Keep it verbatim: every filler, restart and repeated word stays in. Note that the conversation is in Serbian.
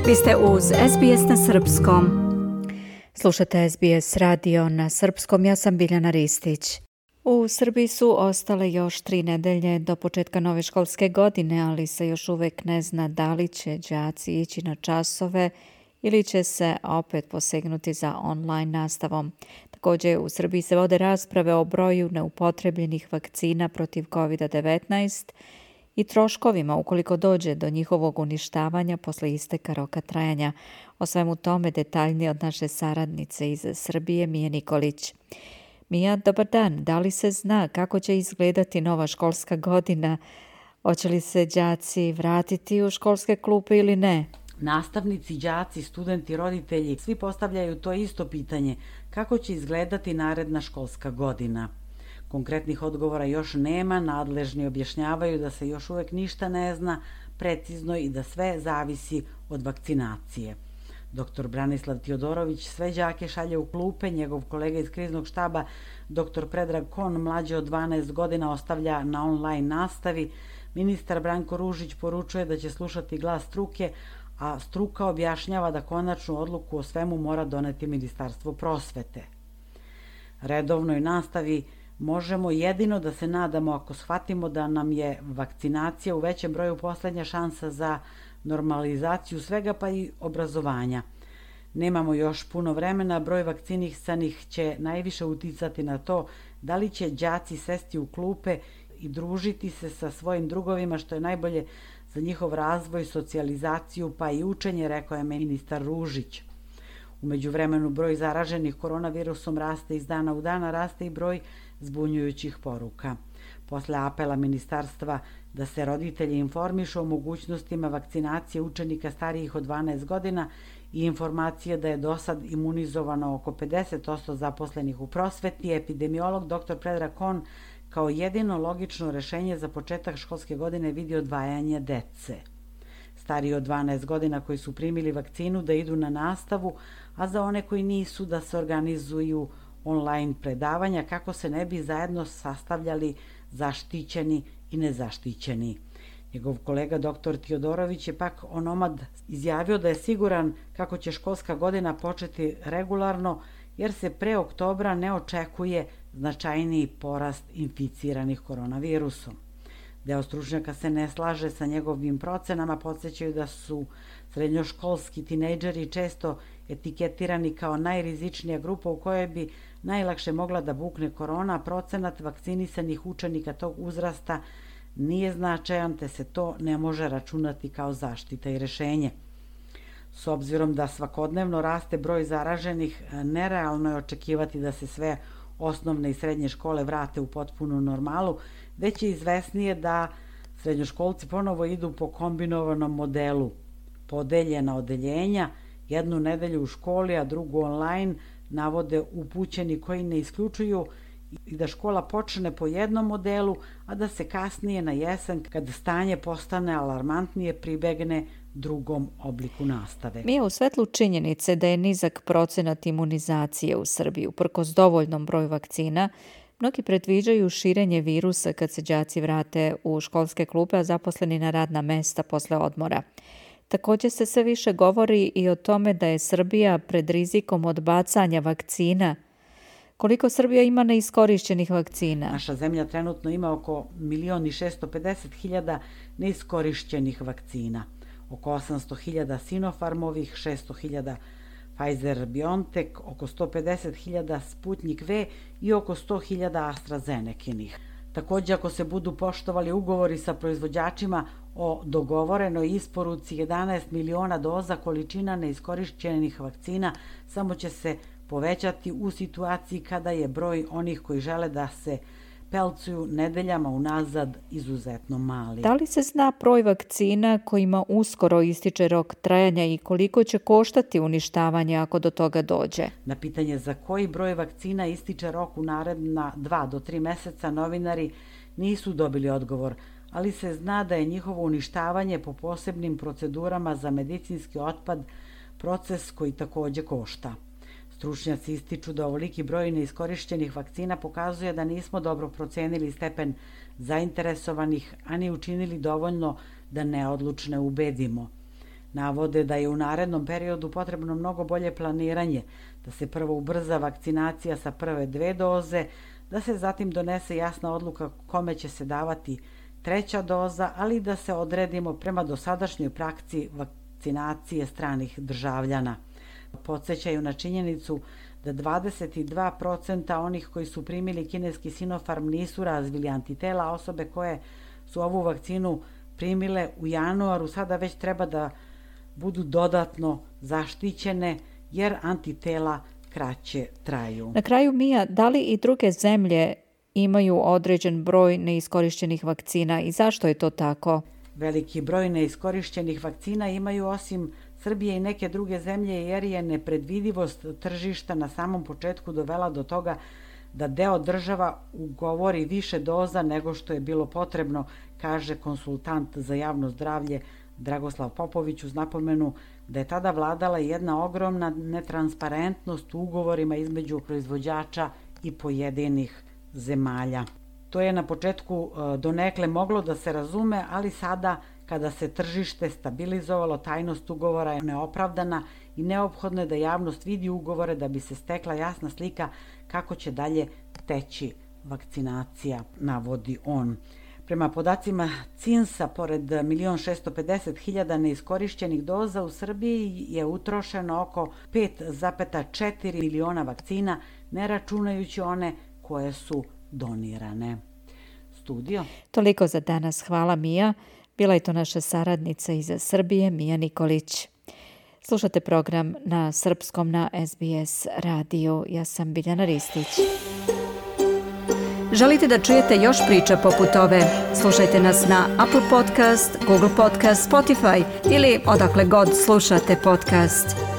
Vi ste uz S B S na srpskom. Slušate S B S radio na srpskom, ja sam Biljana Ristić. U Srbiji su ostale još tri nedelje do početka nove školske godine, ali se još uvek ne zna da li će đaci ići na časove ili će se opet posegnuti za online nastavom. Također u Srbiji se vode rasprave o broju neupotrebljenih vakcina protiv covid devetnaest i troškovima ukoliko dođe do njihovog uništavanja posle isteka roka trajanja. O svemu tome detaljnije od naše saradnice iz Srbije, Mije Nikolić. Mija, dobar dan. Da li se zna kako će izgledati nova školska godina? Hoće li se đaci vratiti u školske klupe ili ne? Nastavnici, đaci, studenti, roditelji, svi postavljaju to isto pitanje. Kako će izgledati naredna školska godina? Konkretnih odgovora još nema, nadležni objašnjavaju da se još uvek ništa ne zna precizno i da sve zavisi od vakcinacije. Doktor Branislav Tiodorović sve đake šalje u klupe, njegov kolega iz kriznog štaba, doktor Predrag Kon, mlađe od dvanaest godina, ostavlja na online nastavi. Ministar Branko Ružić poručuje da će slušati glas struke, a struka objašnjava da konačnu odluku o svemu mora doneti Ministarstvo prosvete. Redovnoj nastavi možemo jedino da se nadamo ako shvatimo da nam je vakcinacija u većem broju poslednja šansa za normalizaciju svega pa i obrazovanja. Nemamo još puno vremena, broj vakcinisanih će najviše uticati na to da li će đaci sesti u klupe i družiti se sa svojim drugovima, što je najbolje za njihov razvoj, socijalizaciju pa i učenje, rekao je ministar Ružić. U međuvremenu broj zaraženih koronavirusom raste iz dana u dana, raste i broj zbunjujućih poruka. Posle apela ministarstva da se roditelji informišu o mogućnostima vakcinacije učenika starijih od dvanaest godina i informacije da je do sad imunizovano oko pedeset posto zaposlenih u prosveti, epidemiolog doktor Predrag Kon kao jedino logično rešenje za početak školske godine vidi odvajanje dece. Stariji od dvanaest godina koji su primili vakcinu da idu na nastavu, a za one koji nisu da se organizuju online predavanja kako se ne bi zajedno sastavljali zaštićeni i nezaštićeni. Njegov kolega doktor Tiodorović je pak onomad izjavio da je siguran kako će školska godina početi regularno jer se pre oktobra ne očekuje značajniji porast inficiranih koronavirusom. Deo stručnjaka se ne slaže sa njegovim procenama, podsjećaju da su srednjoškolski tinejdžeri često etiketirani kao najrizičnija grupa u kojoj bi najlakše mogla da bukne korona, a procenat vakcinisanih učenika tog uzrasta nije značajan, te se to ne može računati kao zaštita i rešenje. S obzirom da svakodnevno raste broj zaraženih, nerealno je očekivati da se sve osnovne i srednje škole vrate u potpunu normalu, već je izvesnije da srednjoškolci ponovo idu po kombinovanom modelu. Podeljena odeljenja, jednu nedelju u školi, a drugu online, navode upućeni koji ne isključuju i da škola počne po jednom modelu, a da se kasnije na jesen, kad stanje postane alarmantnije, pribegne drugom obliku nastave. Mi je u svetlu činjenice da je nizak procenat imunizacije u Srbiji uprkos dovoljnom broju vakcina, mnogi predviđaju širenje virusa kad se đaci vrate u školske klupe, a zaposleni na radna mesta posle odmora. Također se sve više govori i o tome da je Srbija pred rizikom odbacanja vakcina. Koliko Srbija ima neiskorišćenih vakcina? Naša zemlja trenutno ima oko milion i šesto pedeset hiljada neiskorišćenih vakcina. Oko osamsto hiljada Sinopharmovih, šesto hiljada Pfizer-BioNTech, oko sto pedeset hiljada Sputnik V i oko sto hiljada AstraZenekinih. Također, ako se budu poštovali ugovori sa proizvođačima o dogovorenoj isporuci jedanaest miliona doza, količina neiskorišćenih vakcina samo će se povećati u situaciji kada je broj onih koji žele da se pelcuju nedeljama unazad izuzetno mali. Da li se zna broj vakcina kojima uskoro ističe rok trajanja i koliko će koštati uništavanje ako do toga dođe? Na pitanje za koji broj vakcina ističe rok u naredna dva do tri meseca novinari nisu dobili odgovor, ali se zna da je njihovo uništavanje po posebnim procedurama za medicinski otpad proces koji također košta. Stručnjaci ističu da ovoliki broj neiskorišćenih vakcina pokazuje da nismo dobro procenili stepen zainteresovanih, a ni učinili dovoljno da neodlučne ubedimo. Navode da je u narednom periodu potrebno mnogo bolje planiranje, da se prvo ubrza vakcinacija sa prve dve doze, da se zatim donese jasna odluka kome će se davati treća doza, ali da se odredimo prema dosadašnjoj praksi vakcinacije stranih državljana. Podsjećaju na činjenicu da dvadeset dva posto onih koji su primili kineski Sinopharm nisu razvili antitela, a osobe koje su ovu vakcinu primile u januaru sada već treba da budu dodatno zaštićene jer antitela kraće traju. Na kraju, Mija, da li i druge zemlje imaju određen broj neiskorišćenih vakcina i zašto je to tako? Veliki broj neiskorišćenih vakcina imaju osim Srbije i neke druge zemlje jer je nepredvidivost tržišta na samom početku dovela do toga da deo država ugovori više doza nego što je bilo potrebno, kaže konsultant za javno zdravlje Dragoslav Popović uz napomenu da je tada vladala jedna ogromna netransparentnost u ugovorima između proizvođača i pojedinih zemalja. To je na početku donekle moglo da se razume, ali sada kada se tržište stabilizovalo, tajnost ugovora je neopravdana i neophodno je da javnost vidi ugovore da bi se stekla jasna slika kako će dalje teći vakcinacija, navodi on. Prema podacima C I N S-a, pored milion šesto pedeset hiljada neiskorišćenih doza u Srbiji je utrošeno oko pet zarez četiri miliona vakcina, ne računajući one koje su donirane. Studio. Toliko za danas. Hvala, Mija. Bila je to naša saradnica iz Srbije, Mija Nikolić. Slušate program na srpskom na S B S radiju. Ja sam Biljana Ristić. Želite da čujete još priča poput ove? Slušajte nas na Apple Podcast, Google Podcast, Spotify ili odakle god slušate podcast.